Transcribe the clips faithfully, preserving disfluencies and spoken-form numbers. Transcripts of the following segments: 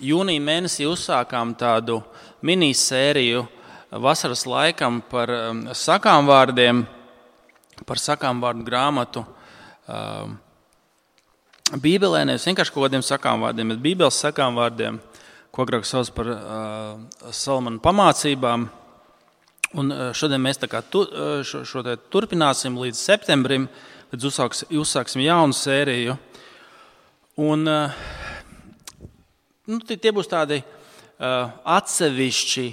jūnija mēnesī uzsākām tādu minisēriju vasaras laikam par sakām vārdiem, par sakām vārdu grāmatu Bībelē, nevis vienkārši kaut kādiem sakām vārdiem, bet Bībeles sakām vārdiem, ko agrāk sauc par Salamana pamācībām. Un šodien mēs tā kā tu, šo, šo te turpināsim līdz septembrim, līdz uzsāks, uzsāksim jaunu sēriju. Un nu, tie būs tādi atsevišķi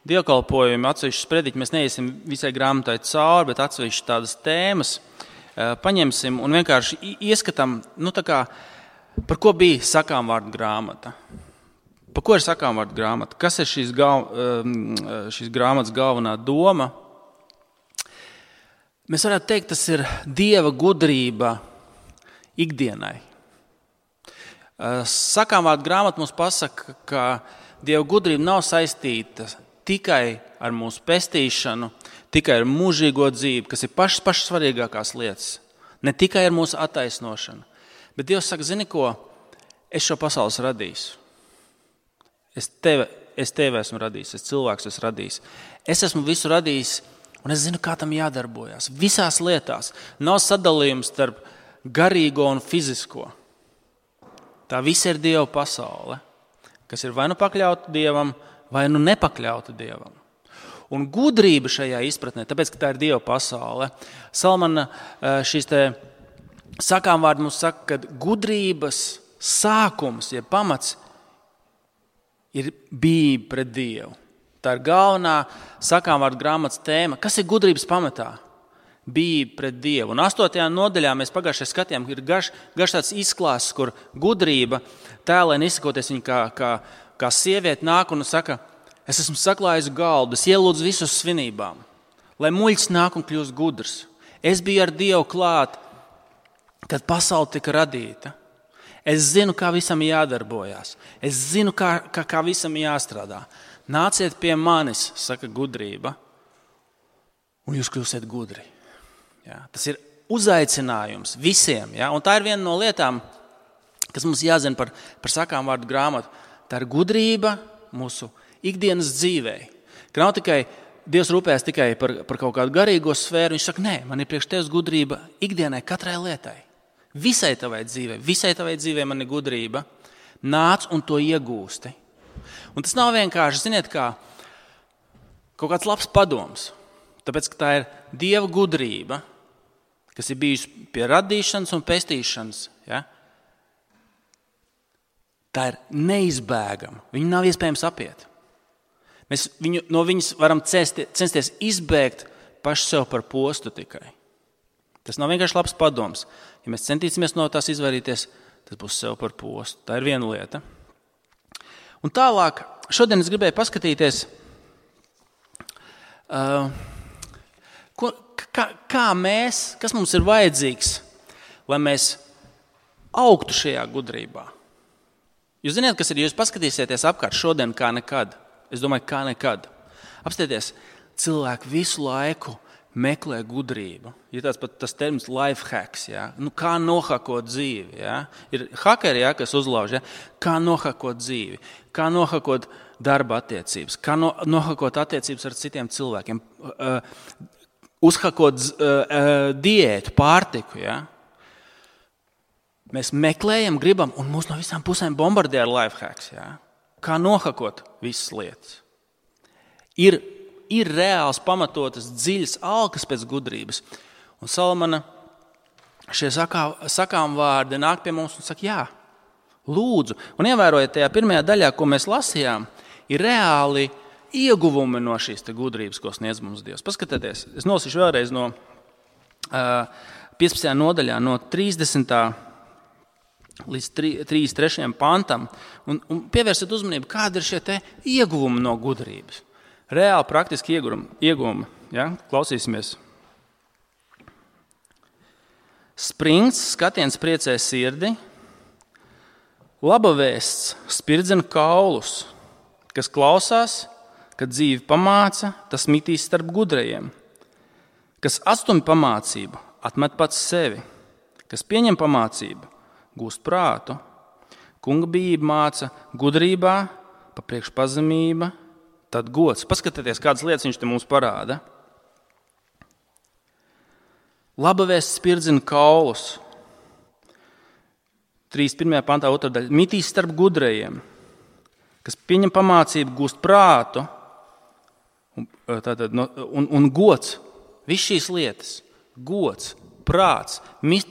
dievkalpojumi, atsevišķi sprediķi. Mēs neiesim visai grāmatai cauri, bet atsevišķi tādas tēmas paņemsim un vienkārši ieskatām, nu tā kā, par ko bija sakām vārdu grāmata. Par ko ir sakām vārdu grāmata? Kas ir šīs, gal, šīs grāmatas galvenā doma? Mēs varētu teikt, tas ir Dieva gudrība ikdienai. Sakām vārdu grāmata mums pasaka, ka Dieva gudrība nav saistīta tikai ar mūsu pestīšanu, tikai ar mūžīgo dzīvi, kas ir pašas, pašas svarīgākās lietas. Ne tikai ar mūsu attaisnošanu. Bet Dievs saka, zini ko, es šo pasaules radīšu. Es tevi, es tevi esmu radījis, es cilvēks esmu radījis. Es esmu visu radījis, un es zinu, kā tam jādarbojas. Visās lietās nav sadalījums starp garīgo un fizisko. Tā viss ir Dieva pasaule, kas ir vai nu pakļauta Dievam, vai nu nepakļauta Dievam. Un gudrība šajā izpratnē, tāpēc, ka tā ir Dieva pasaule, Salamana šīs te sakām vārdi mums saka, ka gudrības sākums, ja pamats, ir bijība pret Dievu. Tā ir galvenā sakām vārdu grāmatas tēma. Kas ir gudrības pamatā? Bijība pret Dievu. Un astotajā nodaļā mēs pagājušajā skatījām, ir garš, garš tāds izklāsts, kur gudrība tēlēn izsakoties viņa kā, kā, kā sieviete nāk un saka, es esmu saklājusi galdu, es ielūdzu visus svinībām, lai muļķis nāk un kļūst gudrs. Es biju ar Dievu klāt, kad pasaule tika radīta. Es zinu, kā visam jādarbojas. Es zinu, kā, kā, kā visam jāstrādā. Nāciet pie manis, saka gudrība, un jūs kļūsiet gudri. Ja, tas ir uzaicinājums visiem. Ja, un tā ir viena no lietām, kas mums jāzina par, par sakām vārdu grāmatu. Tā ir gudrība mūsu ikdienas dzīvē. Ka nav tikai Dievs rūpēs tikai par, par kaut kādu garīgo sfēru. Viņš saka, nē, man ir priekš tevis gudrība ikdienai, katrai lietai. Visai tavai dzīvē, visai tavai dzīvē man ir gudrība, nāc un to iegūsti. Un tas nav vienkārši, ziniet, kā kaut kāds labs padoms, tāpēc, ka tā ir Dieva gudrība, kas ir bijusi pie radīšanas un pestīšanas. Ja? Tā ir neizbēgama, viņu nav iespējams apiet. Mēs viņu, no viņas varam censties, censties izbēgt paši sev par postu tikai. Tas nav vienkārši labs padoms. Ja mēs centīsimies no tās izvairīties, tas būs sev par postu. Tā ir viena lieta. Un tālāk, šodien es gribēju paskatīties, uh, ko, kā, kā mēs, kas mums ir vajadzīgs, lai mēs augtu šajā gudrībā. Jūs zināt, kas ir, ja jūs paskatīsieties apkārt šodien kā nekad. Es domāju, kā nekad. Apstieties, cilvēki visu laiku meklē gudrību. Ir tāds pat tas termins life hacks, ja? Nu, kā nohakot dzīvi. Ja? Ir hakeri, ja, kas uzlauž, ja? Kā nohakot dzīvi, kā nohakot darba attiecības, kā no, nohakot attiecības ar citiem cilvēkiem, uh, uzhakot uh, uh, diētu, pārtiku. Ja? Mēs meklējam, gribam, un mūs no visām pusēm bombardē ar life hacks. Ja? Kā nohakot visas lietas. Ir Ir reāls pamatotas dziļas alkas pēc gudrības. Un Salamana šie sakā, sakām vārdi nāk pie mums un saka, jā, lūdzu. Un ievērojiet, tajā pirmajā daļā, ko mēs lasījām, ir reāli ieguvumi no šīs te gudrības, ko sniedz mums Dievs. Paskatieties, es nolasīšu vēlreiz no uh, piecpadsmitajā nodaļā, no trīsdesmitā līdz trīsdesmit trešajam pantam, un, un pievērsiet uzmanību, kāda ir šie te ieguvumi no gudrības. Reāli praktiski ieguvumi. Ja? Klausīsimies. Springts skatiens priecē sirdi, laba vēsts spirdzina kaulus, kas klausās, kad dzīve pamāca, tas mitīs starp gudrajiem. Kas atstumj pamācību, atmet pats sevi. Kas pieņem pamācību, gūst prātu. Kunga bijība māca gudrībā, pa priekš pazemība, tad gods. Paskatieties, kādas lietas viņš te mums parāda. Laba vēsts spirdzina kaulus. trīsdesmit pirmajā pantā otrā daļa. Mitīs starp gudrajiem, kas pieņem pamācību, gūst prātu un, tātad, no, un, un gods. Viss šīs lietas. Gods, prāts, mit,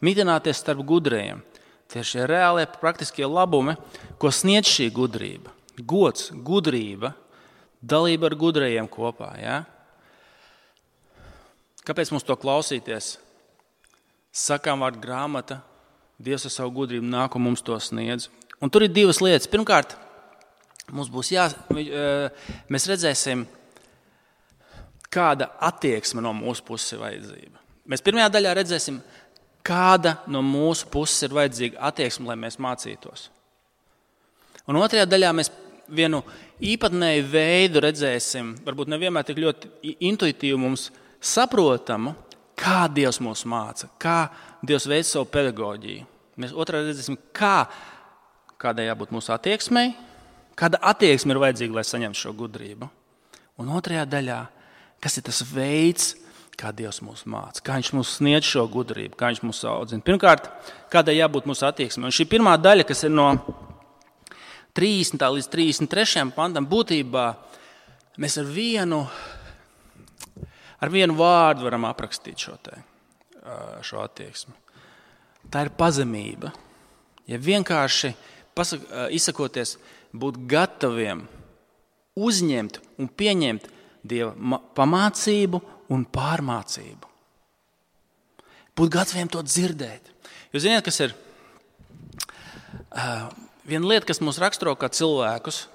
mitināties starp gudrajiem. Tie ir šie reālie praktiskie labumi, ko sniedz šī gudrība. Gods, gudrība, dalība ar gudrajiem kopā. Ja? Kāpēc mums to klausīties? Sakām vārdu grāmata, Dievs ar savu gudrību nāk un mums to sniedz. Un tur ir divas lietas. Pirmkārt, mums būs jā, mēs redzēsim, kāda attieksme no mūsu puses ir vajadzība. Mēs pirmajā daļā redzēsim, kāda no mūsu puses ir vajadzīga attieksme, lai mēs mācītos. Un otrajā daļā mēs vienu īpatnēju veidu redzēsim, varbūt nevienmēr tik ļoti intuitīvi mums saprotamu, kā Dievs mūs māca, kā Dievs veic savu pedagoģiju. Mēs otrā redzēsim, kā, kādai jābūt mūsu attieksmei, kāda attieksme ir vajadzīga, lai saņemtu šo gudrību. Un otrajā daļā, kas ir tas veids, kā Dievs mūs māca, kā viņš mums sniedz šo gudrību, kā viņš mūs audzina. Pirmkārt, kādai jābūt mūsu attieksmei. Un šī pirmā daļa, kas ir no trīsdesmitā līdz trīsdesmit trešajam pantam, būtībā mēs ar vienu, ar vienu vārdu varam aprakstīt šo, te, šo attieksmi. Tā ir pazemība. Ja vienkārši pasak, izsakoties, būt gataviem uzņemt un pieņemt Dieva pamācību un pārmācību. Būt gataviem to dzirdēt. Jūs zināt, kas ir uh, viena lieta, kas mūs raksturo kā cilvēkus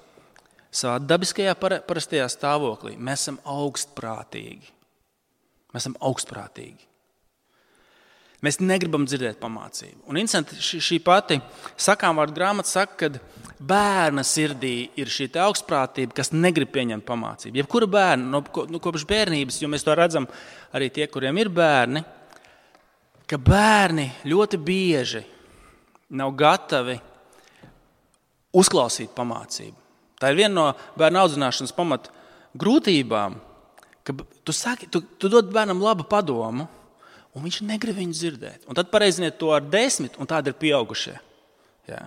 savā dabiskajā parastajā stāvoklī. Mēs esam augstprātīgi. Mēs esam augstprātīgi. Mēs negribam dzirdēt pamācību. Un interesanti, šī, šī pati sakām vārdu grāmata saka, ka bērna sirdī ir šī augstprātība, kas negrib pieņemt pamācību. Jebkura bērna, no, no kopš bērnības, jo mēs to redzam arī tie, kuriem ir bērni, ka bērni ļoti bieži nav gatavi uzklausīt pamācību. Tā ir viena no bērna audzināšanas pamat grūtībām, ka tu, saki, tu, tu dod bērnam labu padomu, un viņš negrib viņu dzirdēt. Un tad pareiziniet to ar desmit, un tādi ir pieaugušie. Jā.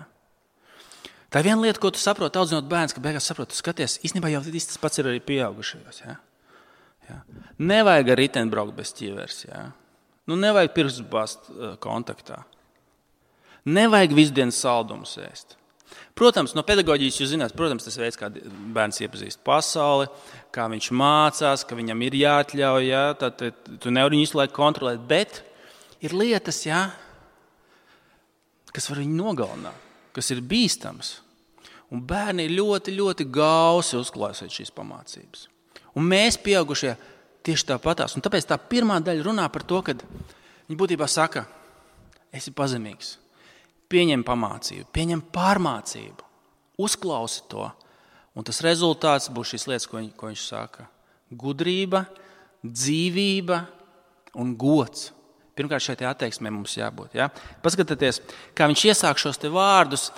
Tā ir viena lieta, ko tu saproti, audzinot bērns, ka beigās saproti, tu skaties, īstenībā jau tas pats ir arī pieaugušajos. Jā. Jā. Nevajag ar riteni braukt bez ķīvers. Jā. Nu, nevajag pirkstu bāzt uh, kontaktā. Nevajag visu dienu saldumus ēst. Protams, no pedagoģijas jūs zināt, protams, tas veids, kā bērns iepazīst pasauli, kā viņš mācās, ka viņam ir jāatļauj, jā, tad tu nevari viņu visu laiku kontrolēt, bet ir lietas, jā, kas var viņu nogalināt, kas ir bīstams. Un bērni ir ļoti, ļoti gausi uzklausīt šīs pamācības. Un mēs, pieaugušie, tieši tāpatās. Un tāpēc tā pirmā daļa runā par to, ka viņi būtībā saka, esi pazemīgs. Pieņem pamācību, pieņem pārmācību, uzklausi to, un tas rezultāts būs šīs lietas, ko, viņ, ko viņš saka. Gudrība, dzīvība un gods. Pirmkārt, šeit attieksmē mums jābūt. Ja? Paskatieties, kā viņš iesāk šos te vārdus,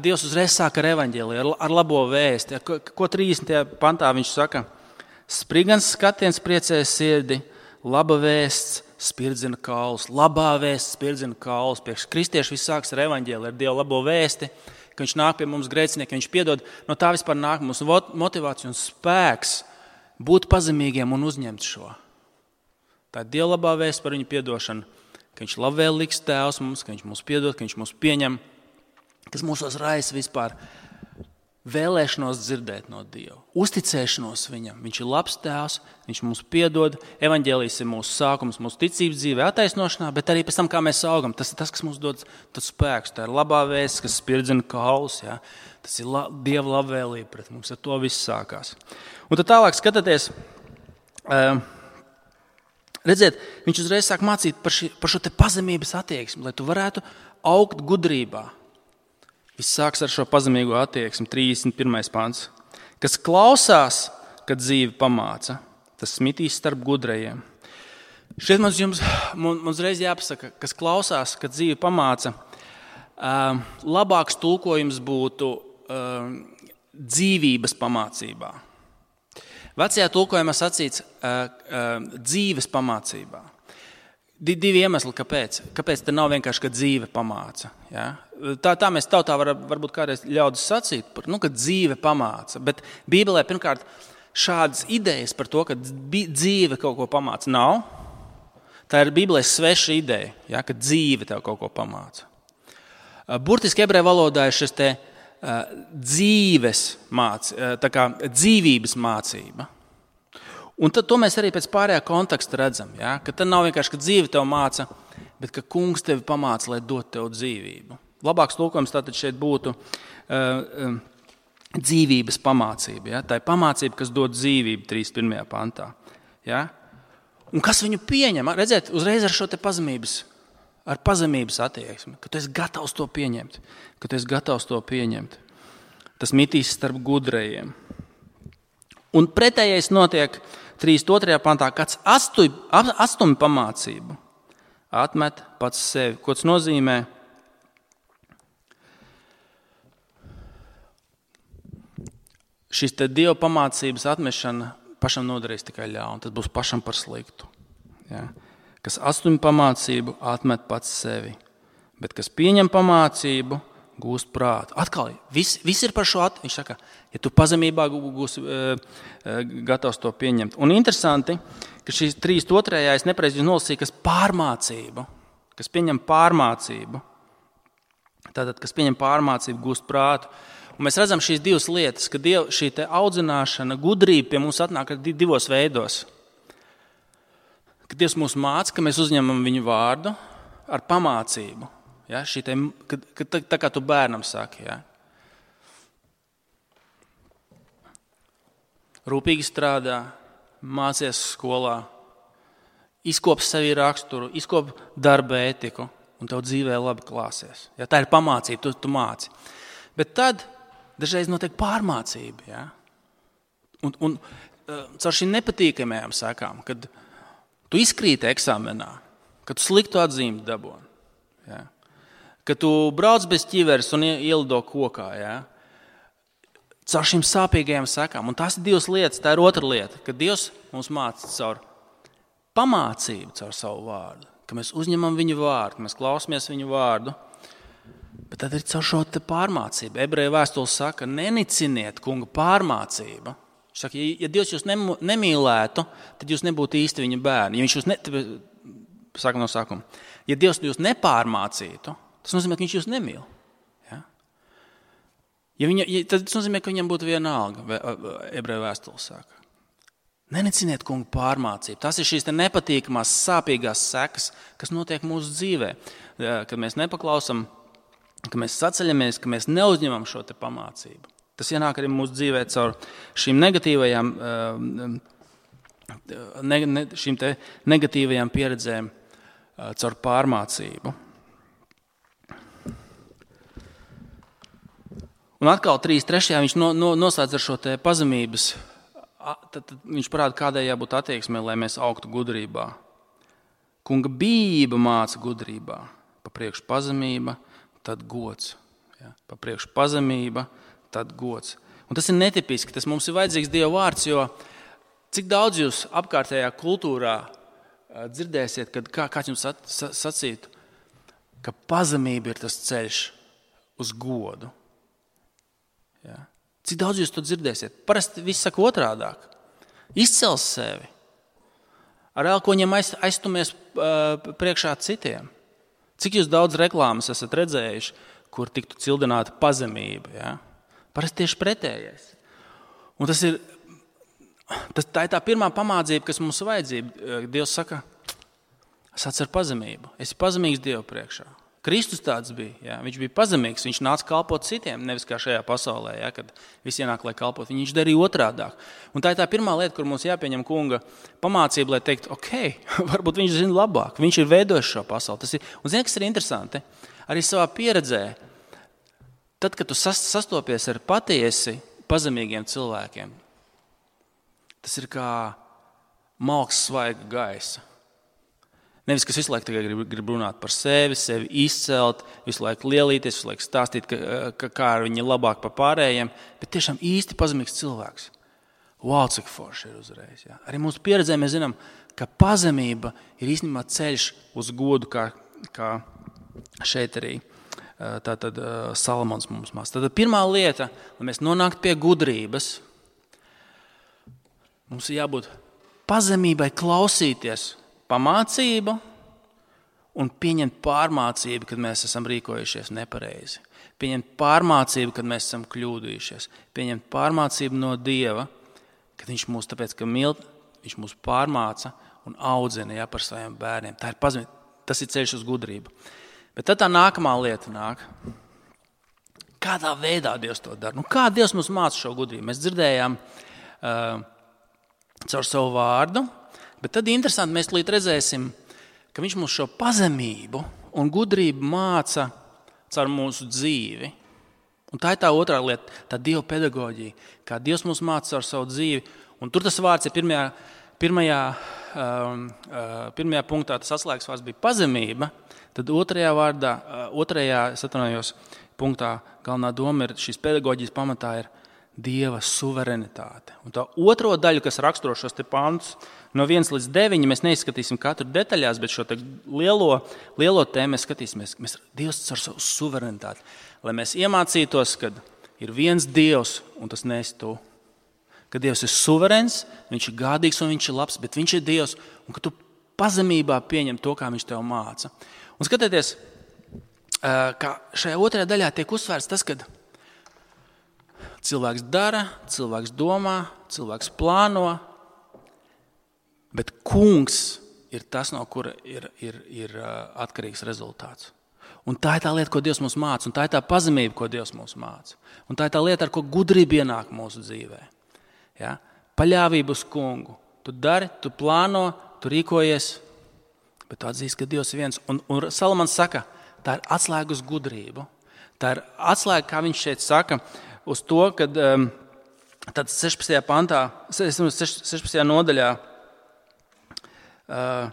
Dievs uzreiz sāk ar evaņģēliju, ar, ar labo vēsti. Ko, ko trīsdesmitajā pantā viņš saka? Sprigans skatiens priecē sirdi, laba vēsts spirdzina kaulus, labā vēsts spirdzina kaulus. Priekš kristieši viss sāks ar evaņģēliju, ar Dievu labo vēsti, ka viņš nāk pie mums grēcinieki, viņš piedod. No tā vispār nāk mums motivācija un spēks būt pazemīgiem un uzņemt šo. Tā ir Dieva labā vēsts par viņu piedošanu, ka viņš labvēlīgs tēvs mums, ka viņš mūs piedod, ka viņš mūs pieņem, kas mūsos raisa vispār vēlēšanos dzirdēt no Dieva, uzticēšanos viņam. Viņš ir labs tēvs, viņš mums piedod, evaņģēlijs ir mūsu sākums, mūsu ticības dzīvē attaisnošanā, bet arī pēc tam, kā mēs augam, tas ir tas, kas mums dod spēks. Tā ir labā vēsts, kas spirdzina kaulus, ja? Tas ir la, Dieva labvēlība pret mums, ar to viss sākās. Un tad tālāk skatāties, uh, redziet, viņš uzreiz sāk mācīt par, ši, par šo te pazemības attieksmi, lai tu varētu augt gudrībā. Viss sāks ar šo pazemīgo attieksmi, trīsdesmit pirmais pants. Kas klausās, kad dzīve pamāca, tas smitīs starp gudrajiem. Šeit mums jums, mums reiz jāpasaka, kas klausās, kad dzīve pamāca. labāks tulkojums būtu dzīvības pamācībā. Vecajā tulkojumā sacīts dzīves pamācībā. Divi iemesli, kāpēc. Kāpēc te nav vienkārši, ka dzīve pamāca. Ja? Tā, tā mēs tautā var, varbūt kādreiz ļaudis sacīt, par, nu, ka dzīve pamāca. Bet Bībelē pirmkārt šādas idejas par to, ka dzīve kaut ko pamāca, nav. Tā ir Bībelē sveša ideja, ja, ka dzīve tev kaut ko pamāca. Burtiski ebreju valodā ir šis te uh, dzīves māc, uh, tā kā dzīvības mācība. Un tad to mēs arī pēc pārējā konteksta redzam, ja? Ka tad nav vienkārši, ka dzīve tev māca, bet ka kungs tevi pamāca, lai dot tev dzīvību. Labāks tulkojums tātad šeit būtu uh, uh, dzīvības pamācība. Ja? Tā ir pamācība, kas dod dzīvību trīsdesmit pirmajā pantā. Ja? Un kas viņu pieņem? Redziet, uzreiz ar šo te pazemības, ar pazemības attieksmi, ka tu esi gatavs to pieņemt, ka tu esi gatavs to pieņemt. Tas mitīs starp gudrajiem. Un pretējais notiek trīsdesmit otrajā pantā, kāds astumi pamācību atmet pats sevi. Ko tas nozīmē? Šis te Dieva pamācības atmešana pašam nodarīs tikai ļaunu. Tas būs pašam par sliktu. Ja? Kas astumi pamācību atmet pats sevi, bet kas pieņem pamācību, gūst prātu. Atkal, viss, viss ir par šo at... Viņš saka, ja tu pazemībā gūsi uh, gatavs to pieņemt. Un interesanti, ka šīs trīsdesmit otrajā es nepareizi nolasīju, kas pārmācību, kas pieņem pārmācību. Tātad, kas pieņem pārmācību, gūst prātu. Un mēs redzam šīs divas lietas, ka diev, šī te audzināšana, gudrība pie mums atnāk divos veidos. Ka Dievs mūs māca, ka mēs uzņemam viņu vārdu ar pamācību. Ja, šī te, ka, ka, tā, tā kā tu bērnam saki, ja. Rūpīgi strādā, mācies skolā, izkop sevi raksturu, izkop darba ētiku un tev dzīvē labi klāsies. Ja, tā ir pamācība, tu, tu māci. Bet tad dažreiz notiek pārmācība. Ja. Un, un caur šīm nepatīkamajām sekām, kad tu izkrīti eksāmenā, kad tu sliktu atzīmi dabūni. Ja. Kad tu brauc bez ķiveres un ielido kokā, ja? Caur šīm sāpīgajām sekām. Un tās ir divas lietas, tā ir otra lieta, ka Dievs mums māca caur pamācību, caur savu vārdu, ka mēs uzņemam viņu vārdu, ka mēs klausamies viņu vārdu, bet tad ir caur šo te pārmācību. Ebreju vēstules saka, neniciniet kunga pārmācību. Viņš saka, ja Dievs jūs nemīlētu, tad jūs nebūtu īsti viņa bērni. Ja viņš jūs ne... Saka no sākuma. Ja Dievs jūs nepārmācītu, tas nozīmē, ka viņš jūs nemīl. Ja? Ja viņa, ja, tad tas nozīmē, ka viņam būtu vienalga, ebreju vēstules saka. Neniciniet kungu pārmācību. Tas ir šīs te nepatīkamās, sāpīgās sekas, kas notiek mūsu dzīvē. Kad mēs nepaklausam, ka mēs saceļamies, ka mēs neuzņemam šo te pamācību. Tas ienāk arī mūsu dzīvē caur šīm negatīvajām, ne, ne, šīm te negatīvajām pieredzēm, caur pārmācību. Un atkal trīsdesmit trešajā viņš no, no, noslēdz ar šo te pazemības, tad, tad viņš parāda, kādai jābūt attieksmē, lai mēs augtu gudrībā. Kunga bijība māca gudrībā, pa priekšu pazemība, tad gods. Ja? Pa priekšu pazemība, tad gods. Un tas ir netipiski, tas mums ir vajadzīgs Dieva vārds, jo cik daudz jūs apkārtējā kultūrā dzirdēsiet, kad kā, kāds jums sacītu, ka pazemība ir tas ceļš uz godu. Ja. Cik daudz jūs to dzirdēsiet? Parasti viss saka otrādāk. Izcels sevi. Ar elkoņiem aiz, aiztumies uh, priekšā citiem. Cik jūs daudz reklāmas esat redzējuši, kur tiktu cildināta pazemība? Ja? Parasti tieši pretējais. Un tas ir, tas, tā ir tā pirmā pamācība, kas mums vajadzība. Dievs saka, es atceru pazemību. Esi pazemīgs Dievu priekšā. Kristus tāds bija, ja? Viņš bija pazemīgs, viņš nāca kalpot citiem, nevis kā šajā pasaulē, ja? Kad visi ienāk, lai kalpot, viņš darīja otrādāk. Un tā ir tā pirmā lieta, kur mums jāpieņem kunga pamācība, lai teikt, ok, varbūt viņš zina labāk, viņš ir veidojis šo pasauli. Tas ir, un zini, kas ir interesanti, arī savā pieredzē, tad, kad tu sastopies ar patiesi pazemīgiem cilvēkiem, tas ir kā malks svaiga gaisa. Nevis, kas visu laiku tikai grib, grib runāt par sevi, sevi izcelt, visu laiku lielīties, visu laiku stāstīt, ka, ka, kā ar viņi labāk par pārējiem, bet tiešām īsti pazemīgs cilvēks. Wow, cik forši ir uzreiz. Jā. Arī mūsu pieredzē mēs zinām, ka pazemība ir īstenībā ceļš uz godu, kā, kā šeit arī tātad Salamons mums māca. Tātad pirmā lieta, lai mēs nonāktu pie gudrības, mums ir jābūt pazemībai klausīties pamācību un pieņemt pārmācību, kad mēs esam rīkojušies nepareizi. Pieņemt pārmācību, kad mēs esam kļūdījušies. Pieņemt pārmācību no Dieva, kad viņš mūs, tāpēc, ka mīl, viņš mūs pārmāca un audzina jā, par saviem bērniem. Tā ir pazemība, tas ir ceļš uz gudrību. Bet tad tā nākamā lieta nāk. Kādā veidā Dievs to dara? Nu, kā Dievs mums māca šo gudrību? Mēs dzirdējām uh, caur savu vārdu, bet tad interesanti mēs līdz redzēsim, ka viņš mums šo pazemību un gudrību māca caur mūsu dzīvi. Un tā ir tā otrā lieta, tā Dieva pedagoģija, kā Dievs mums māca caur savu dzīvi. Un tur tas vārds ir pirmajā, pirmajā, um, uh, pirmajā punktā, tas atslēgas vārds bija pazemība, tad otrajā vārdā, uh, otrajā, es atvainojos, punktā galvenā doma ir, šīs pedagoģijas pamatā ir Dieva suverenitāte. Un tā otro daļu, kas raksturo šos te pantus, no viens līdz deviņi, mēs neizskatīsim katru detaļās, bet šo te lielo, lielo tēmu mēs skatīsimies, mēs Dievs caur savu suverenitāti. Lai mēs iemācītos, ka ir viens Dievs, un tas neesi tu. Ka Dievs ir suverens, viņš ir gādīgs un viņš ir labs, bet viņš ir Dievs, un ka tu pazemībā pieņem to, kā viņš tev māca. Un skatieties, kā šajā otrajā daļā tiek uzsvērts tas, ka cilvēks dara, cilvēks domā, cilvēks plāno, bet kungs ir tas, no kura ir, ir, ir atkarīgs rezultāts. Un tā ir tā lieta, ko Dievs mums māca, un tā ir tā pazemība, ko Dievs mums māca. Un tā ir tā lieta, ar ko gudrība ienāk mūsu dzīvē. Ja? Paļāvību uz kungu. Tu dari, tu plāno, tu rīkojies, bet tu atzīsti, ka Dievs ir viens. Un, un Salamans saka, tā ir atslēga uz gudrību. Tā ir atslēga, kā viņš šeit saka, uz to, kad um, tad sešpadsmitajā pantā, sešpadsmitajā nodaļā, uh,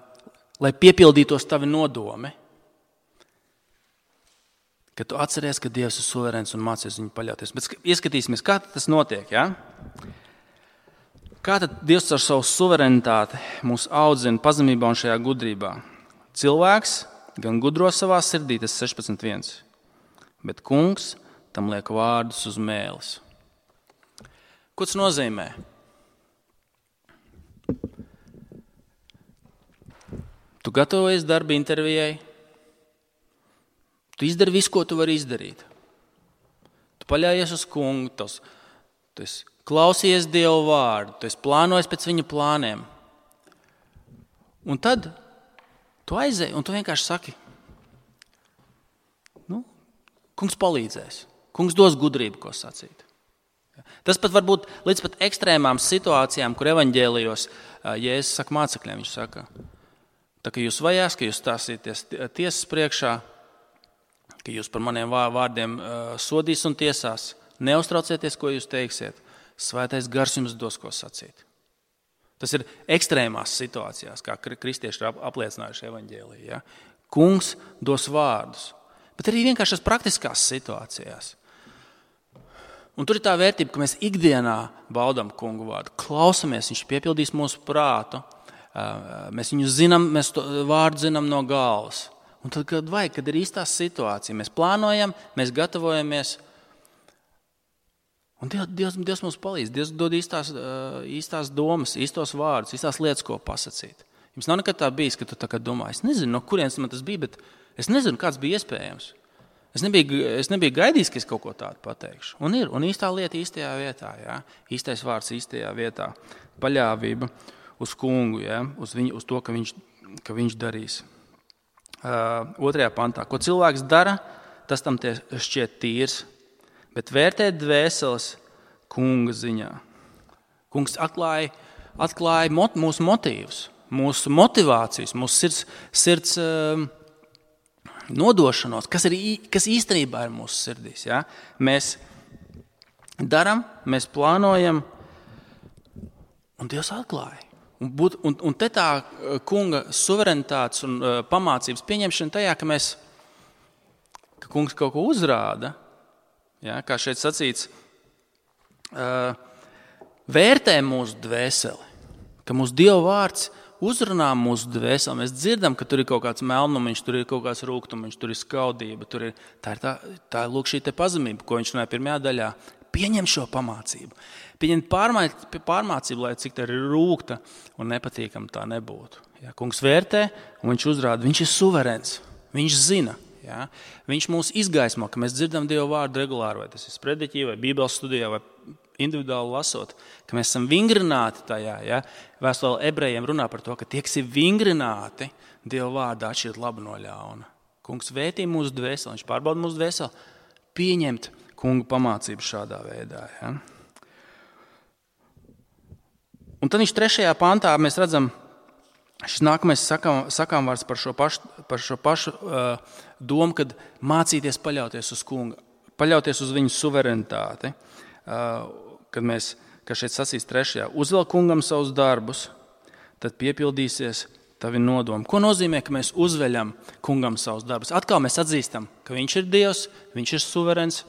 lai piepildītos tavi nodomi, ka tu atceries, ka Dievs ir suverēns un mācies viņu paļauties. Bet ieskatīsimies, kā tas notiek. Ja? Kā tad Dievs ar savu suverenitāti mūs audzina pazemībā un šajā gudrībā? Cilvēks gan gudro savā sirdī, tas sešpadsmit viens, bet kungs tam liek vārdus uz mēles. Ko tas nozīmē? Tu gatavojies darba intervijai, tu izdari visu, ko tu vari izdarīt. Tu paļājies uz kungu, tos, tu esi klausies Dieva vārdu, tu esi plānojis pēc viņa plāniem. Un tad tu aizēji un tu vienkārši saki, nu, kungs palīdzēs, kungs dos gudrību, ko sacīt. Tas pat var būt līdz pat ekstrēmām situācijām, kur evaņģēlijos Jēzus saka mācekļiem, viņš saka, tā ka jūs vajās, ka jūs stāsieties tiesas priekšā, ka jūs par maniem vārdiem sodīs un tiesās. Neuztraucieties, ko jūs teiksiet. Svētais gars jums dos, ko sacīt. Tas ir ekstrēmās situācijās, kā kristieši ir apliecinājuši evaņģēliju. Ja? Kungs dos vārdus. Bet arī vienkāršās praktiskās situācijās. Un tur ir tā vērtība, ka mēs ikdienā baudam kungu vārdu. Klausamies, viņš piepildīs mūsu prātu. Mēs viņu zinām, mēs to vārdu zinām no galvas. Un tad, kad vajag, kad ir īstās situācija, mēs plānojam, mēs gatavojamies. Un Dievs, Dievs mums palīdz. Dievs dod īstās, īstās domas, īstos vārdus, īstās lietas, ko pasacīt. Jums nav nekad tā bijis, ka tu tā kā domā, es nezinu, no kurienes man tas bija, bet es nezinu, kāds bija iespējams. Es nebiju, es nebiju gaidījis, ka es kaut ko tādu pateikšu. Un ir, un īstā lieta īstajā vietā, jā. Īstais vārds īstajā vietā. Paļāvība uz kungu, jā, uz, viņu, uz to, ka viņš, ka viņš darīs. Uh, otrajā pantā. Ko cilvēks dara, tas tam tie šķiet tīrs, bet vērtēt dvēseles kunga ziņā. Kungs atklāja, atklāja mot, mūsu motīvus, mūsu motivācijas, mūsu sirds, sirds uh, nodošanos, kas, ir, kas īstenībā ir mūsu sirdīs. Ja? Mēs daram, mēs plānojam, un Dievs atklāja. Un, būt, un, un te tā kunga suverenitātes un uh, pamācības pieņemšana tajā, ka mēs, ka kungs kaut ko uzrāda, ja, kā šeit sacīts, uh, vērtē mūsu dvēseli, ka mūsu Dieva vārds uzrunā mūsu dvēseli. Mēs dzirdam, ka tur ir kaut kāds melnumiņš, tur ir kaut kāds rūgtumiņš, tur ir skaudība, tur ir, tā ir tā, tā ir lūk šī te pazemība, ko viņš runāja pirmajā daļā. Pieņem šo pamācību. Pieņem pārmācību, lai cik tā ir rūgta un nepatīkama tā nebūtu. Ja, kungs vērtē un viņš uzrāda, viņš ir suverēns, viņš zina. Ja, viņš mūs izgaismo, ka mēs dzirdam Dieva vārdu regulāri, vai tas ir sprediķī, vai bībeles studijā, vai individuāli lasot, ka mēs esam vingrināti tajā. Ja? Vēstule ebrejiem runā par to, ka tie, kas ir vingrināti, Dieva vārdā atšķirt labu no ļauna. Kungs vētī mūsu dvēseli, viņš pārbauda mūsu dvēseli, pieņemt kungu pamācību šādā veidā. Ja? Un tad viņš trešajā pantā mēs redzam, šis nākamais sakām, sakām vārds par šo pašu, par šo pašu uh, domu, kad mācīties paļauties uz kungu, paļauties uz viņu suverenitāti. Uh, kad mēs, kā šeit sacīs trešajā, uzvēl kungam savus darbus, tad piepildīsies tavi nodomi. Ko nozīmē, ka mēs uzveļam kungam savus darbus? Atkal mēs atzīstam, ka viņš ir Dievs, viņš ir suverens.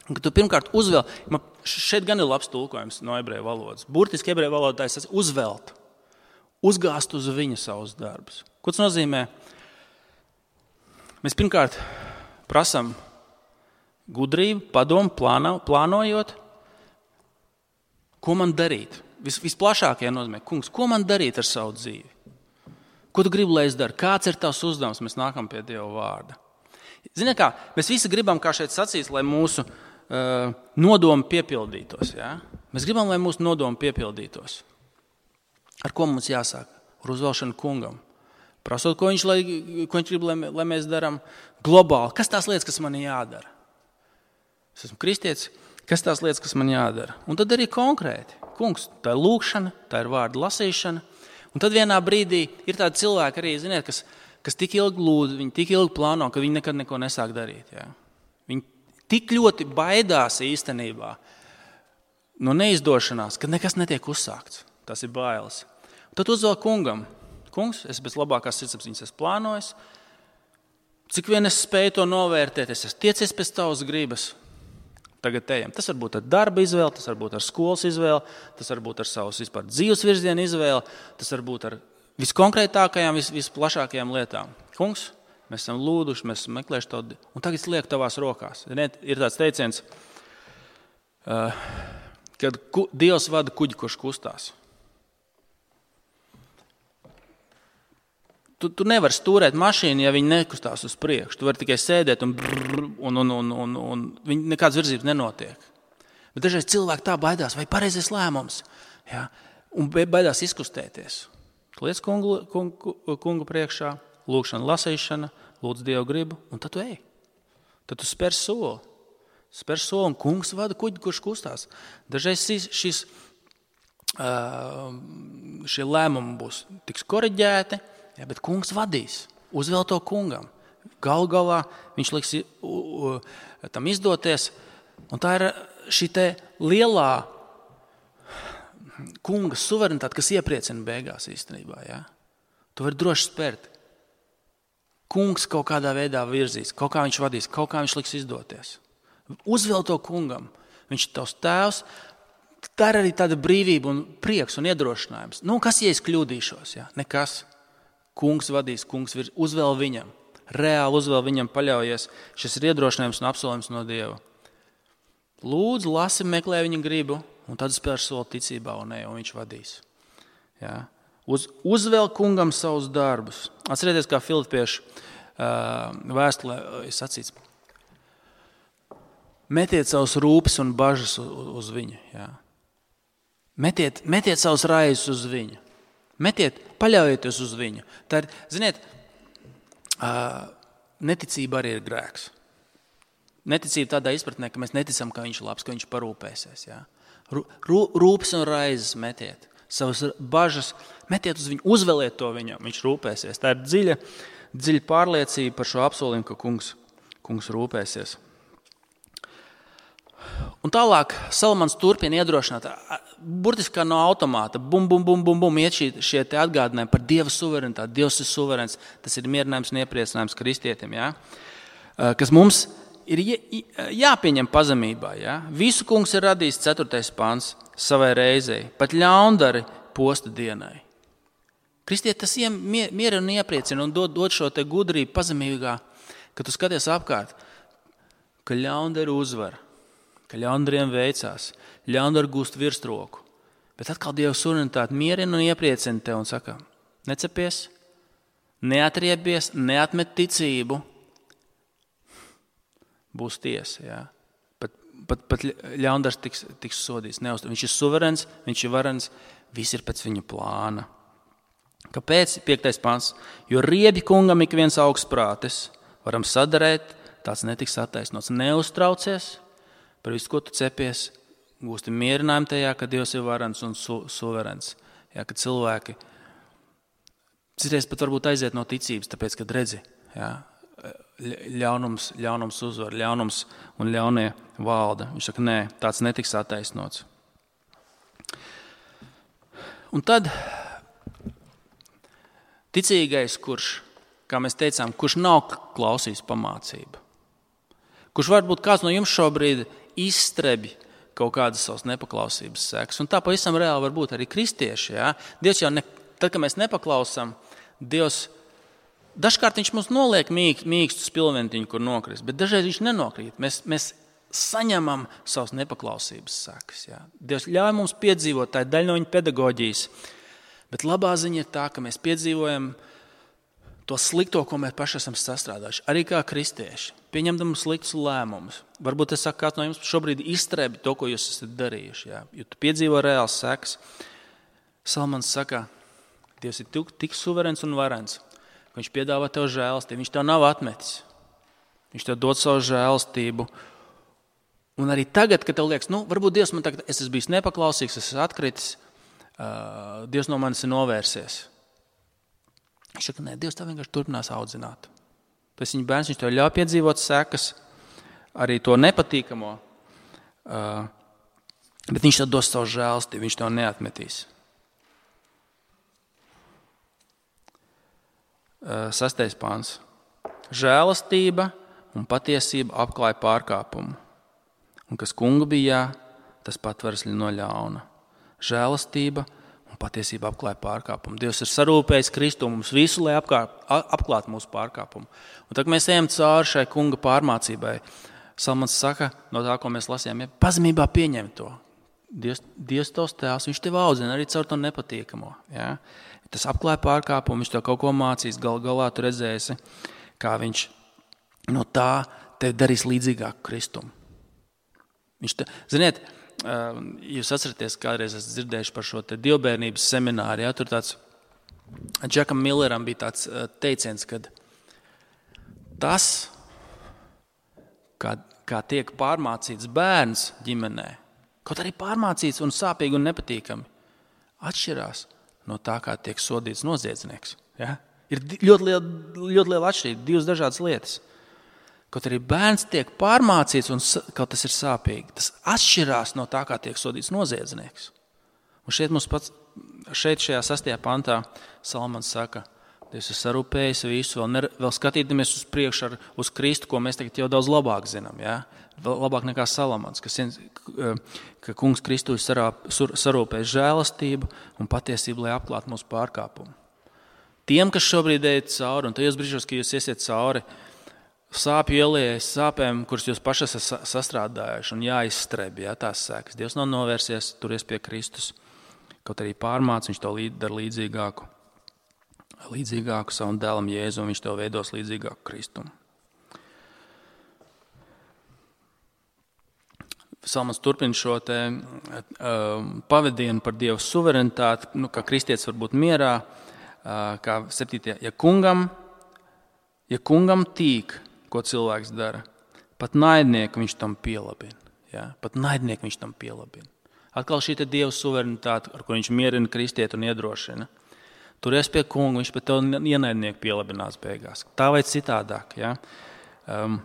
Un, ka tu pirmkārt uzvēl, man šeit gan ir labs tulkojums no ebreju valodas. Burtiski ebreju valodā tas uzvelt, uzgāzt uz viņu savus darbus. Ko tas nozīmē? Mēs pirmkārt prasam gudrību, padomu, plāno, plānojot, ko man darīt. Vis, visplašākajā nozīmē, kungs, ko man darīt ar savu dzīvi? Ko tu gribi, lai es daru? Kāds ir tavs uzdevums? Mēs nākam pie Dieva vārda. Ziniet kā, mēs visi gribam, kā šeit sacīs, lai mūsu uh, nodomi piepildītos. Ja? Mēs gribam, lai mūsu nodomi piepildītos. Ar ko mums jāsāk? Ar uzvēlšanu kungam. Prasot, ko viņš, lai, ko viņš grib, lai, lai mēs darām globāli. Kas tās lietas, kas man ir jādara? Es esmu kristietis, kas tās lietas, kas man jādara? Un tad arī konkrēti. Kungs, tā ir lūkšana, tā ir vārda lasīšana. Un tad vienā brīdī ir tādi cilvēki arī, ziniet, kas, kas tik ilgi lūdz, viņi tik ilgi plāno, ka viņi nekad neko nesāk darīt. Ja? Viņi tik ļoti baidās īstenībā no neizdošanās, ka nekas netiek uzsākts. Tas ir bailes. Un tad uzvēl kungam. Kungs, es bez labākās sirdsapziņas esmu plānojis. Cik vien es spēju to novērtēt, es esmu tiecies pēc tavas gribas. Tagad ejam. Tas var būt ar darba izvēli, tas var būt ar skolas izvēli, tas var būt ar savas vispār dzīves virzienu izvēli, tas var būt ar viskonkrētākajām, vis, visplašākajām lietām. Kungs, mēs esam lūduši, mēs esam meklējuši to, un tagad es lieku tavās rokās. Ir tāds teiciens, uh, kad ku, Dievs vada kuģi, kurš kustās. Tu, tu nevari stūrēt mašīnu, ja viņi nekustās uz priekšu. Tu vari tikai sēdēt un brrr, un, un, un, un, un viņi nekādas virzības nenotiek. Bet dažreiz cilvēki tā baidās, vai pareizais lēmums, ja? Un baidās izkustēties. Liec kungu, kungu, kungu priekšā, lūkšana, lasīšana, lūdz Dievu gribu, un tad tu ej. Tad tu spēr soli. Spēr soli, un kungs vada kuģi, kurš kustās. Dažreiz šis, šis, šie lēmumi būs tiks koriģēti, ja, bet kungs vadīs, uzvēl to kungam. Galu galā viņš liks u, u, tam izdoties. Un tā ir šī te lielā kunga suverenitāte, kas iepriecina beigās īstenībā. Ja? Tu vari droši spērt. Kungs kaut kādā veidā virzīs, kaut kā viņš vadīs, kaut kā viņš liks izdoties. Uzvēl to kungam. Viņš ir tavs tēvs. Tā ir arī tāda brīvība un prieks un iedrošinājums. Nu, kas, ja es kļūdīšos? Ja? Nekas. Kungs vadīs, kungs virs, uzvēl viņam, reāli uzvēl viņam, paļaujies. Šis ir iedrošinājums un apsolījums no Dieva. Lūdzu, lasi, meklē viņa gribu, un tad spēr soli ticībā un ej, un viņš vadīs. Ja? Uz, uzvēl kungam savus darbus. Atcerieties, kā Filipiešu uh, vēstulē ir sacīts. Metiet savus rūpes un bažas uz, uz viņu. Ja? Metiet, metiet savus raizes uz viņu. Metiet, paļaujieties uz viņu. Tā ir, ziniet, neticība arī ir grēks. Neticība tādā izpratnē, ka mēs neticam, ka viņš ir labs, ka viņš parūpēsies. Ja? Rūpes un raizes metiet. Savas bažas metiet uz viņu, uzveliet to viņam, viņš rūpēsies. Tā ir dziļa, dziļa pārliecība par šo apsolījumu, ka kungs, kungs rūpēsies. Un tālāk Salamans turpina iedrošināt, burtiski kā no automāta, bum, bum, bum, bum, bum, iet šie, šie te atgādinājumi par Dieva suverenitāti. Dievs ir suverens, tas ir mierinājums un iepriecinājums kristietim, ja? Kas mums ir jāpieņem pazemībā. Ja? Visu kungs ir radījis ceturtais pants savai reizei, pat ļaundari posta dienai. Kristieti tas mierina un iepriecina un dod, dod šo te gudrību pazemīgā, ka tu skaties apkārt, ka ļaundari uzvar, ka ļaundariem veicās, ļaundari gūst virsroku. Bet atkal Dieva suverenitāte mierina un iepriecina tev un saka, necepies, neatriebies, neatmet ticību, būs tiesa. Ja? Pat, pat, pat ļaundars tiks, tiks sodīts. Neuztur. Viņš ir suverens, viņš ir varens, viss ir pēc viņa plāna. Kāpēc? Piektais pants. Jo riebi kungam ik viens augstprātis, varam sadarēt, tāds netiks attaisnots. Neuztraucies par visu, ko tu cepies, gūsti mierinājumu tajā, ka Dievs ir varens un su, suverens. Ja, ka cilvēki citreiz pat varbūt aiziet no ticības, tāpēc, kad redzi, ja, ļaunums, ļaunums uzvar, ļaunums un ļaunie valda. Viņš saka, nē, tāds netiks attaisnots. Un tad ticīgais, kurš, kā mēs teicām, kurš nav klausījis pamācību, kurš varbūt kāds no jums šobrīd izstrebi kaut kādas savas nepaklausības sekas. Un tā pavisam reāli var būt arī kristieši. Ja? Dievs jau, ne, tad, kad mēs nepaklausām, Dievs, dažkārt viņš mums noliek mīk, mīkstu spilventiņu, kur nokrist, bet dažreiz viņš nenokrīt. Mēs, mēs saņemam savas nepaklausības sekas. Ja? Dievs ļauj mums piedzīvot, tā ir daļa no viņa pedagoģijas. Bet labā ziņa ir tā, ka mēs piedzīvojam to slikto, ko mēs paši esam sastrādājuši. Arī kā kristieši, pieņemdam sliktus lēmumus. Varbūt es saku, kāds no jums šobrīd izstrēbi to, ko jūs esat darījuši. Jā. Jo tu piedzīvo reāls sekas. Salmans saka, Dievs ir tik suverens un varens, ka viņš piedāvā tev žēlastību. Viņš tev nav atmetis. Viņš tev dod savu žēlastību. Un arī tagad, kad tev liekas, nu, varbūt Dievs man tagad, es esmu bijis nepaklausīgs, es esmu atkritis, uh, Dievs no manis ir novērsies. Viņš saka, nē, Dievs tev vienkārši turpinās audzināt. Tas viņa bērns, viņš tev ļauj piedzīvot sekas, arī to nepatīkamo, uh, bet viņš tev dos savu žēlastību, viņš tev neatmetīs. Uh, sastais pāns. Žēlastība un patiesība apklāja pārkāpumu. Un kas kunga bija, tas patveras no ļauna. Žēlastība un patiesība apklāja pārkāpumu. Dievs ir sarūpējis Kristu mums visu, lai apkār, apklātu mūsu pārkāpumu. Un tad mēs ejam cauri šai kunga pārmācībai. Salmans saka, no tā, ko mēs lasījām, ja pazemībā pieņem to. Dievs, Dievs tos tēvs, viņš tev audzina arī caur to nepatīkamo. Ja? Tas apklāja pārkāpumu, viņš tev kaut ko mācīs, gal galā tu redzēsi, kā viņš no tā tev darīs līdzīgāku Kristumu. Viņš te, ziniet, jūs atceraties, kādreiz esat dzirdējuši par šo te dievbērnības semināru, ja? Tur tāds, Džekam Milleram bija tāds teiciens, kad tas, kā, kā tiek pārmācīts bērns ģimenē, kaut arī pārmācīts un sāpīgi un nepatīkami, atšķirās no tā, kā tiek sodīts noziedznieks. Ja? Ir ļoti liela, ļoti liela atšķirība, divas dažādas lietas. Kaut arī bērns tiek pārmācīts un kaut tas ir sāpīgi. Tas atšķirās no tā, kā tiek sodīts noziedznieks. Un šeit mums pats, šeit šajā sastajā pantā Salmans saka, Dievs ir sarūpējis visu, vēl, ner, vēl skatīdamies uz priekšu ar, uz Kristu, ko mēs tagad jau daudz labāk zinām. Ja? Vēl labāk nekā Salamans, ka, ka kungs Kristu ir sarūpējis žēlastību un patiesību, lai apklātu mūsu pārkāpumu. Tiem, kas šobrīd ejat cauri, un tajos brīžos, ka jūs iesiet cauri, sāpju ieliejas sāpēm, kuras jūs paši esat sastrādājuši un jāizstrebi, ja, tās sekas. Dievs nav novērsies, turies pie Kristus, kaut arī pārmāc, viņš tev dara līdzīgāku, līdzīgāku savam dēlam Jēzu, un viņš tev veidos līdzīgāku Kristumu. Salmans turpina šo te uh, pavadienu par Dievu suverenitāti, nu, kā kristietis var būt mierā, uh, kā septītajā, ja kungam, ja kungam tīk, ko cilvēks dara, pat naidnieku viņš tam pielabina. Ja? Pat naidnieku viņš tam pielabina. Atkal šī te Dieva suverenitāte, ar ko viņš mierina kristieti un iedrošina. Turies pie kunga, viņš pat tev ienaidnieku pielabinās beigās. Tā vai citādāk. Ja? Um,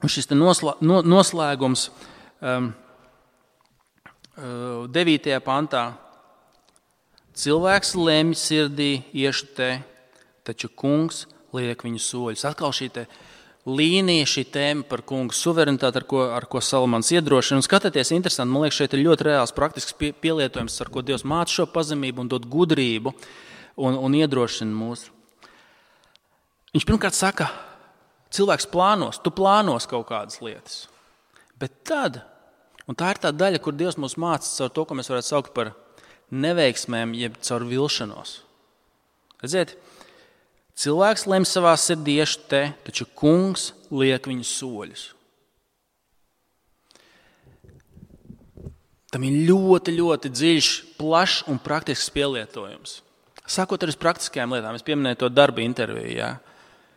un šis te noslā, no, noslēgums, um, devītajā pantā. Cilvēks lemj sirdī, iešu te, taču kungs liek viņu soļus. Atkal šī te līnija, šī tēma par kungu suverenitāti, ar ko, ar ko Salamans iedrošina. Un skatieties, interesanti, man liekas, šeit ir ļoti reāls praktisks pie, pielietojums, ar ko Dievs māca šo pazemību un dod gudrību un, un iedrošina mūs. Viņš pirmkārt saka, cilvēks plānos, tu plānos kaut kādas lietas. Bet tad, un tā ir tā daļa, kur Dievs mūs māca caur to, ko mēs varētu saukt par neveiksmēm, jeb caur vilšanos. Redziet, cilvēks lemj savā sirdī, iešu te, taču kungs liek viņu soļus. Tam ir ļoti, ļoti dziļš, plašs un praktisks pielietojums. Sākot ar praktiskajām lietām, es pieminēju to darba interviju, jā,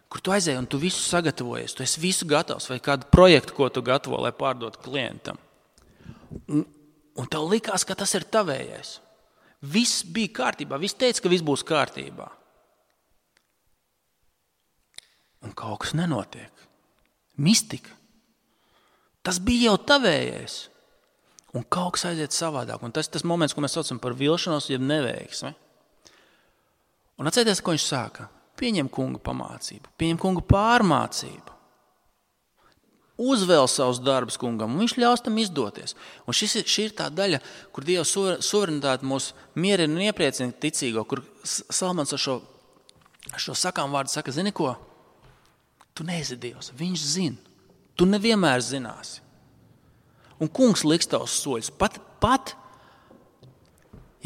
kur tu aizēji un tu visu sagatavojies, tu esi visu gatavs vai kādu projektu, ko tu gatavo, lai pārdotu klientam. Un, un tev likās, ka tas ir tavējais. Viss bija kārtībā, viss teica, ka viss būs kārtībā. Un kaut kas nenotiek. Mistika. Tas bija jau tavējais. Un kaut kas aiziet savādāk. Un tas ir tas moments, ko mēs saucam par vilšanos, jeb neveiksmi. Un atcerieties, ko viņš sāka. Pieņem kunga pamācību, pieņem kunga pārmācību. Uzvēl savus darbus kungam, un viņš ļaus tam izdoties. Un šis, šī ir tā daļa, kur Dieva suverenitāte mūs mierina un iepriecina ticīgo, kur Salamans ar šo, ar šo sakām vārdu saka, zini ko? Tu neesi Dievs, viņš zina. Tu nevienmēr zināsi. Un kungs liks tavus soļus. Pat, pat,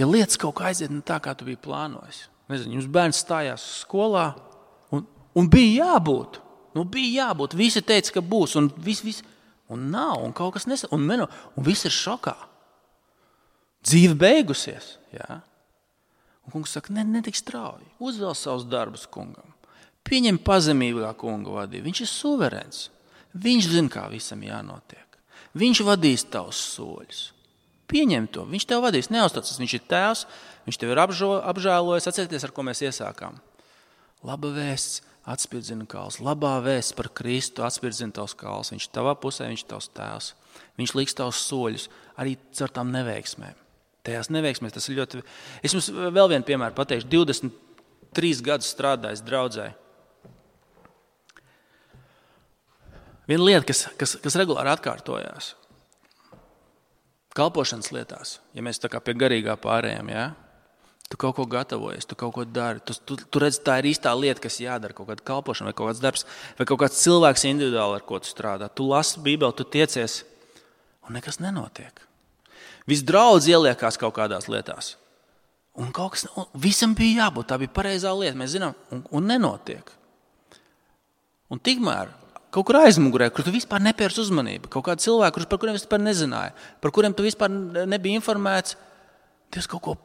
ja lietas kaut kā aiziet ne tā, kā tu biji plānojis. Nezinu, jums bērns stājās skolā un, un bija jābūt. Nu, bija jābūt. Visi teica, ka būs. Un, vis, vis, un nav. Un kaut kas nesa. Un, meno, un viss ir šokā. Dzīve beigusies. Jā. Un kungs saka, ne, netik strauji. Uzvēl savus darbus kungam. Pieņem pazemīgā kunga vadību. Viņš ir suverēns. Viņš zina, kā visam jānotiek. Viņš vadīs tavus soļus. Pieņem to. Viņš tev vadīs. Neuztraucies. Viņš ir tēvs. Viņš tev ir apžo, apžēlojis. Atcerieties, ar ko mēs iesākām. Laba vēsts atspirdzina kāls. Labā vēsts par Kristu atspirdzina tavs kāls. Viņš tavā pusē, viņš ir tavs tēvs. Viņš liks tavus soļus arī caur tām neveiksmēm. Tajās neveiksmēs tas ir ļoti... Es jums vēl vienu piemēru pateikšu. divdesmit trīs gadus strādājis draudzē. Viena lieta, kas, kas, kas regulāri atkārtojās. Kalpošanas lietās, ja mēs tā kā pie garīgā pārējām, jā? Tu kaut ko gatavojies, tu kaut ko dari. Tu, tu, tu redz, tā ir īstā lieta, kas jādara, kaut kāda kalpošana vai kaut kāds darbs, vai kaut kāds cilvēks individuāli, ar ko tu strādā. Tu lasi Bībeli, tu tiecies, un nekas nenotiek. Viss draudz ieliekās kaut kādās lietās. Un kaut kas, un visam bija jābūt, tā bija pareizā lieta, mēs zinām, un, un nenotiek. Un tikmēr kaut kur aizmugurē, kur tu vispār nepērs uzmanību, kaut kādi cilvēki, par kuriem vispār nezināja, par kuriem tu vispār nebija informēts, Dievs kaut ko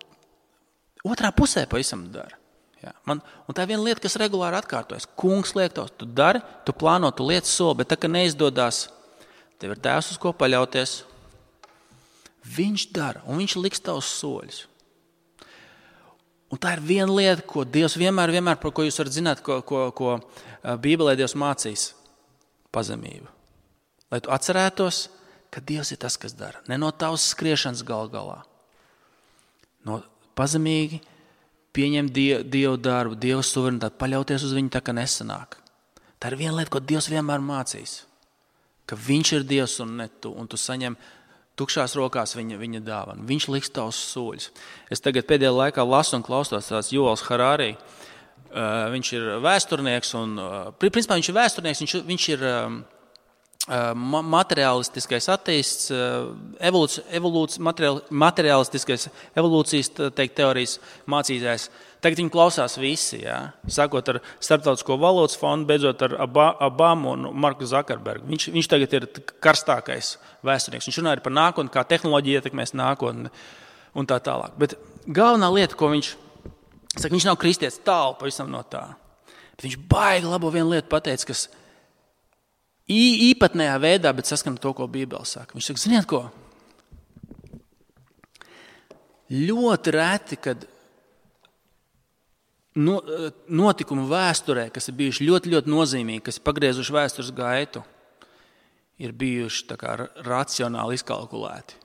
otrā pusē pavisam dara. Jā, man, un tā ir viena lieta, kas regulāri atkārtojas. Kungs liek tos, tu dari, tu plāno, tu lietas soli, bet tā, ka neizdodās, tev ir tēvs, uz ko paļauties. Viņš dara, un viņš liks tavus soļus. Un tā ir viena lieta, ko Dievs vienmēr, vienmēr, par ko jūs varat zināt, ko, ko, ko Bībelē Dievs mācīs. Pazemību. Lai tu atcerētos, ka Dievs ir tas, kas dara. Ne no tavas skriešanas gal galā. No pazemīgi pieņem Dievu, Dievu darbu, Dievu suverenitāti, paļauties uz viņu tā, ka nesanāk. Tā ir viena lieta, ko Dievs vienmēr mācīs. Ka viņš ir Dievs un ne tu, un tu saņem tukšās rokās viņa, viņa dāvanu. Viņš liks tavus soļus. Es tagad pēdējā laikā lasu un klaustos tās Juvals Harari. Uh, viņš ir vēsturnieks un, uh, principā viņš ir vēsturnieks, viņš, viņš ir uh, uh, materiālistiskais atteists, uh, evolūci, evolūci, materiāl, materiālistiskais evolūcijas teikt, teorijas mācītājs. Tagad viņu klausās visi, jā? Sākot ar Starptautisko valūtas fondu, beidzot ar Obamu un Marku Zakarbergu. Viņš, viņš tagad ir karstākais vēsturnieks. Viņš runā par nākotni, kā tehnoloģija ietekmēs nākotni un tā tālāk. Bet galvenā lieta, ko viņš Saka, viņš nav kristietis, tālu pavisam no tā. Bet viņš baigi labo vienu lietu pateica, kas īpatnējā veidā, bet saskan to, ko Bībele saka. Viņš saka, ziniet ko? Ļoti reti, kad notikumu vēsturē, kas ir bijuši ļoti, ļoti nozīmīgi, kas ir pagriezuši vēstures gaitu, ir bijuši tā kā racionāli izkalkulēti.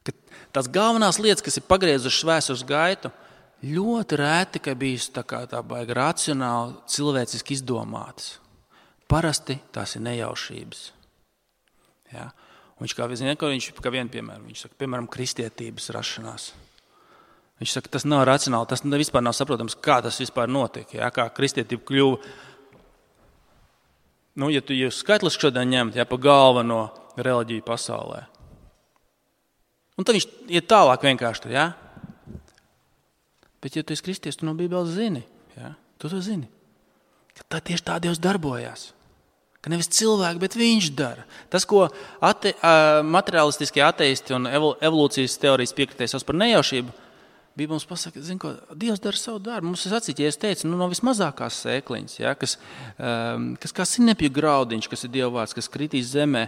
Ka tās galvenās lietas, kas ir pagriezušas vēstures gaitu, ļoti rēti, ka bijis tā kā tā baigi racionāli, cilvēciski izdomātas. Parasti tās ir nejaušības. Ja? Un viņš kā, zin, viņš kā vienu piemēru, viņš saka, piemēram, kristietības rašanās. Viņš saka, tas nav racionāli, tas vispār nav saprotams, kā tas vispār notika, ja? Kā kristietība kļuva. Nu, ja tu jūs skaitliski šodien ņemt, ja, pa galveno reliģiju pasaulē. Un tad viņš iet tālāk vienkārši tur, ja? Bet, ja tu esi kristies, tu no Bībeles zini, ja? Tu to zini, ka tā tieši tā Dievs darbojās. Ka nevis cilvēki, bet viņš dara. Tas, ko ate, materiālistiskie ateisti un evolūcijas teorijas piekritēji sauc par nejaušību, Bībele mums pasaka, zin, ko Dievs dara savu darbu. Mums ir sacīt, ja es teicu, nu, no vismazākās sēkliņas, ja, kas, um, kas kā sinepju graudiņš, kas ir Dieva vārds, kas kritīs zemē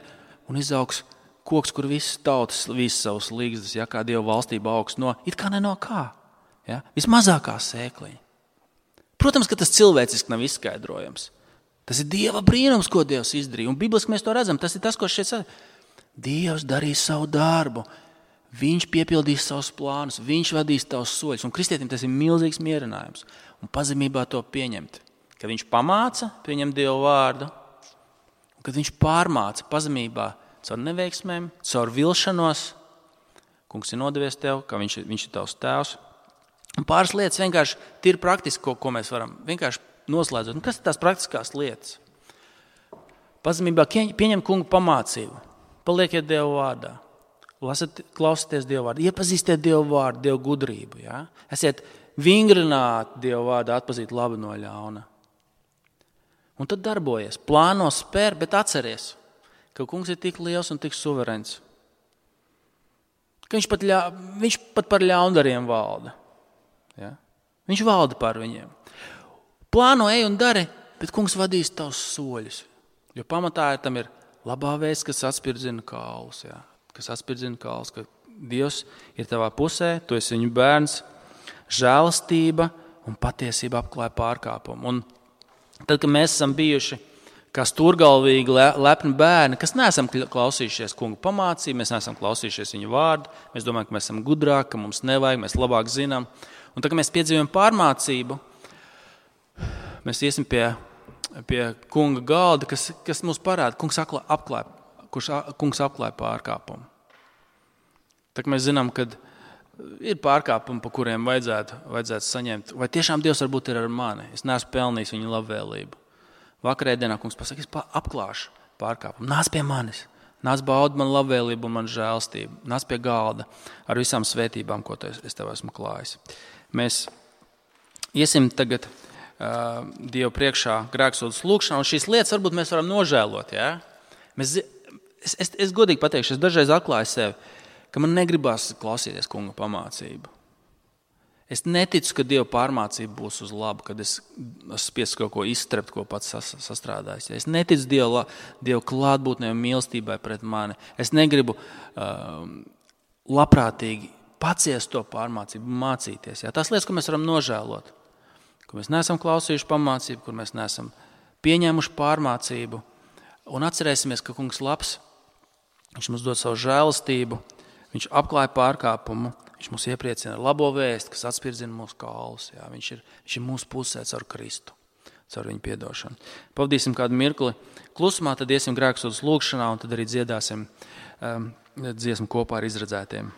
un izaugs koks, kur visas tautas vīs savus līgzdas, ja, kā Dieva valstība augs no, it kā ne no kā. Ja, vismazākā sēkliņa. Protams, ka tas cilvēciski nav izskaidrojams. Tas ir Dieva brīnums, ko Dievs izdarīja. Un bibliski mēs to redzam. Tas ir tas, ko šeit saka. Dievs darīs savu darbu. Viņš piepildīs savus plānus. Viņš vadīs tavus soļus. Un kristietim tas ir milzīgs mierinājums. Un pazemībā to pieņemt. Kad viņš pamāca, pieņem Dievu vārdu. Un kad viņš pārmāca pazemībā caur neveiksmēm, caur vilšanos. Kungs ir nodevies tev, ka viņš, viņš ir tavs tēvs. Un pāris lietas vienkārši tīri praktiski, ko, ko mēs varam vienkārši noslēdzot. Un kas ir tās praktiskās lietas? Pazemībā pieņem kungu pamācību. Palieciet Dievu vārdā. Lasat, klausieties Dievu vārdu. Iepazīstiet Dievu vārdu, Dievu gudrību. Ja? Esiet vingrināti Dievu vārdu, atpazīt labu no ļauna. Un tad darbojies. Plāno, spēr, bet atceries, ka kungs ir tik liels un tik suverens. Ka viņš pat, ļa, viņš pat par ļaundariem valda. Ja? Viņš valda par viņiem. Plāno, ej un dari, bet kungs vadīs tavus soļus. Jo pamatā tam ir labā vēsts, kas atspirdzina kaulus. Ja? Kas atspirdzina kaulus, ka Dievs ir tavā pusē, tu esi viņu bērns, žēlastība un patiesība apklāja pārkāpumu. Un tad, kad mēs esam bijuši kā stūrgalvīgi lepni bērni, kas neesam klausījušies kungu pamācību, mēs neesam klausījušies viņu vārdu, mēs domājam, ka mēs esam gudrāki, ka mums nevajag, mēs labāk zinām. Un tad, kad mēs piedzīvojam pārmācību, mēs iesim pie, pie kunga galda, kas, kas mums parāda, kungs apklāja, kurš kungs apklāja pārkāpumu. Tā mēs zinām, ka ir pārkāpumi, pa kuriem vajadzētu, vajadzētu saņemt. Vai tiešām Dievs varbūt ir ar mani? Es neesmu pelnījis viņa labvēlību. Vakarēdienā kungs pasaka, es apklāšu pārkāpumu. Nāc pie manis. Nāc baudi man labvēlību un man žēlstību. Nāc pie galda ar visām svētībām, ko es tev esmu klājis. Mēs iesim tagad uh, Dievu priekšā grēksūdzes lūkšanā, un šīs lietas varbūt mēs varam nožēlot. Ja? Mēs, es, es, es godīgi pateikšu, es dažreiz atklāju sevi, ka man negribas klausīties kunga pamācību. Es neticu, ka Dieva pārmācība būs uz labu, kad es spiesu kaut ko izstrept, ko pats sas, sastrādājis. Es neticu Dieva, Dieva klātbūtnē un mīlestībai pret mani. Es negribu uh, labprātīgi paciest to pārmācību, mācīties. Ja? Tās lietas, ko mēs varam nožēlot, kur mēs neesam klausījuši pamācību, kur mēs neesam pieņēmuši pārmācību. Un atcerēsimies, ka kungs labs, viņš mums dod savu žēlastību, viņš apklāja pārkāpumu, viņš mūs iepriecina ar labo vēstu, kas atspirdzina mūsu kaulus. Jā, viņš, ir, viņš ir mūsu pusē caur Kristu, caur viņu piedošanu. Pavadīsim kādu mirkli klusumā, tad iesim grēksūdzes lūkšanā un tad arī dziedāsim um, dziesmu kopā ar izredzētiem.